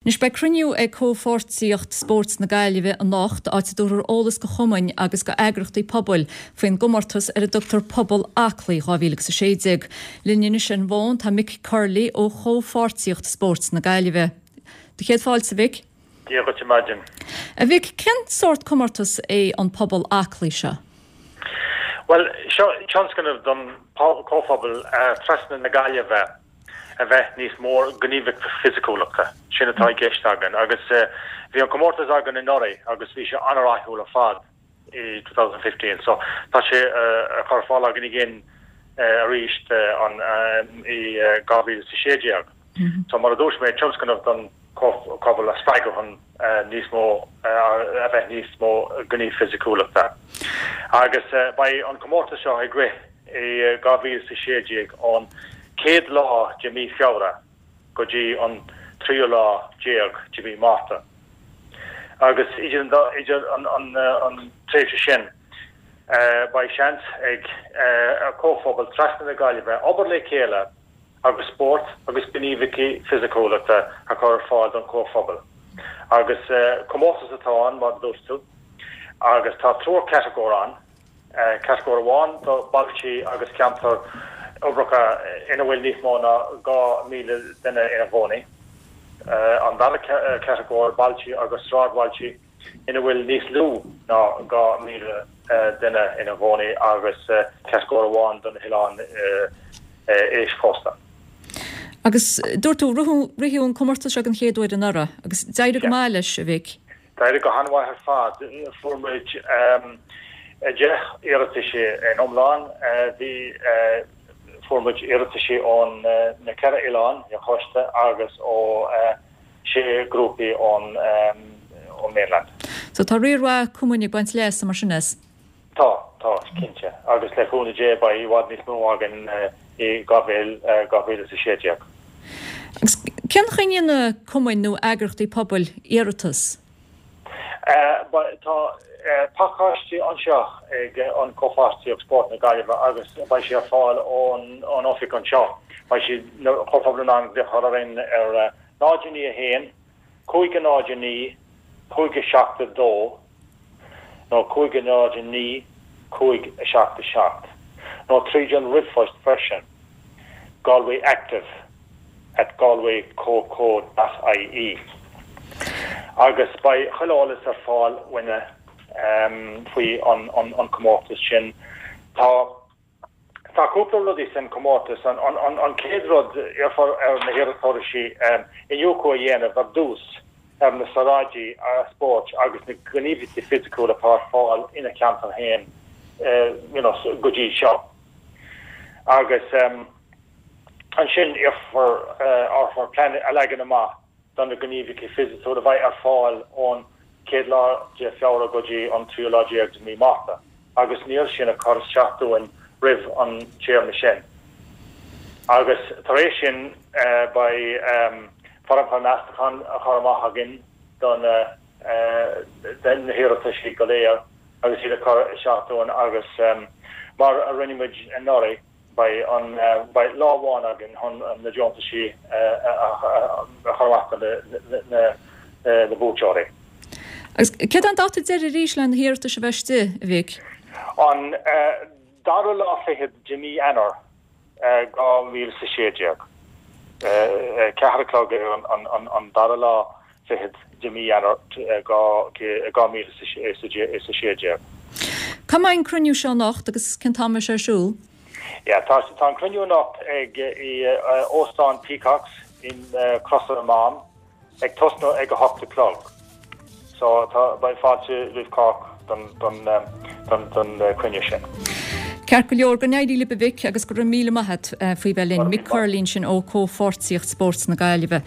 Anois beidh cruinniú ag Comhpháirtíocht Spóirt na Gaillimhe anocht, áit a dtabharfar eolas go chumainn agus go eagrachtaí pobail faoin gcomórtas ar a dtugtar Pobal Aclaí 2016. Linn anois ar an bhfón tá Mick Curley ó Chomhpháirtíocht Spóirt na Gaillimhe. Do chéad fáilte, a Mhic. Dia dhuit ar maidin. A Mhic, cén sórt comórtas é an Pobal Aclaí seo? Bhuel, seo tionscnamh don chomhphobal trasna na Gaillimhe. a bheith níos mó gníomhaíocht fisiciúlachta. Sin atá i gceist againn agus bhí an comórtas againn anuraidh agus bhí sé an-rathúil ar fad i 2015 so tá sé á chur ar fáil againn again arís i 2016. So mar a dúirt mé, tionscnamh don chomhphobal a spreagadh chun níos mó a bheith níos mó gníomh fisiciúlachta. Agus beidh an comórtas seo ag rith i 2016 ón chéad lá de mí Feabhra go dtí an tríú lá déag de mhí Márta. Agus idir an tréimhse sin beidh seans ag comhphobail trasna na Gaillimhe obair le chéile agus spórt agus gníomhaíochtaí fisiciúlachta a chur ar fáil don chomhphobal. Agus comórtas atá ann, mar a dúirt tú, agus tá triúr catagóir ann. Catagóir amháin do bhailtí agus ceantair uirbeacha ina bhfuil níos mó ná 2,000 duine ina gcónaí. An dara catagóir, bailtí agus sráidbhailtí ina bhfuil níos lú ná 2,000 duine ina gcónaí agus catagóir amháin do na hoileáin eischósta. Agus dúirt tú, ritheadh an comórtas seo den chéad uair anuraidh agus d'éirigh go maith leis, a Mhic. D'éirigh go han-mhaith ar fad. Fuair muid 10 iarrataisí in iomlán. Bhí, fuair muid iarrataisí ón na ceithre oileán ar chósta agus ó sé grúpaí ón mainland. So tá riar mhaith cumainn ag baint leasa mar sin as? Tá, tá, cinnte. Agus le cúnamh Dé beidh i bhfad níos mó againn i 2016. Agus cén chaoi a ndéanann cumainn nó eagrachtaí pobail iarratas? Tá pacáistí anseo ag an Comhpháirtíocht Spóirt na Gaillimhe agus beidh sé ar fáil ón oifig anseo. Beidh siad, na comhphobail in ann glaoch a chur orainn ar 0 9 1 5 0 9 5 7 2 nó 5 0 9 5 7 7, nó tríd an ríomhphost freisin, galwayactive at galwaycoco dot ie. Agus beidh chuile eolas ar fáil uainne faoi an comórtas sin. Tá. Tá cúpla rudaí san comórtas. An chéad rud, iarrfar ar na hiarratóirí iniúchadh a dhéanamh ar dtús ar na saoráidí spóirt agus na gníomhaíochtaí fisiciúla atá ar fáil ina cheantar féin you know go dtí seo. Agus ansin iarrfar orthu plean a leagan amach do na gníomhaíochtaí fisiciúla a bheidh ar fáil ón chéad lá de Feabhra go dtí an tríú lá déag de mí Márta agus an iarratas sin a chur isteach dúinn roimh an téarma sin. Agus tar éis sin beidh foirmeacha meastacháin á chur amach againn do na na hiarrataisí go léir agus iad a chur isteach dúinn agus mar a rinne muid anuraidh, Beidh an, beidh lá amháin againn chun na deontaisí a chur amach do na buaiteoirí. Agus céard é an dáta deiridh arís le na hiarratais a bheith istigh, a Mhic? An dara lá fichead de mí Eanáir 2016. 4 a chlog ar an dara lá fichead de mí Eanáir 2016. Cá mbeidh an cruinniú seo anocht agus cén t-am a bheidh sé ar siúl? Yeah, tá tá an cruinniú anocht ag i Óstán Peacocks in Crosaire na Mám ag tosnú ag 8 a chlog. So tá beidh fáilte roimh chách don don don don cruinniú sin. Ceart go leor, go n-éirí libh a Mhic agus go raibh míle maith a't faoi bheith linn. Mick Curley ansin ó Comhpháirtíocht Spóirt na Gaillimhe.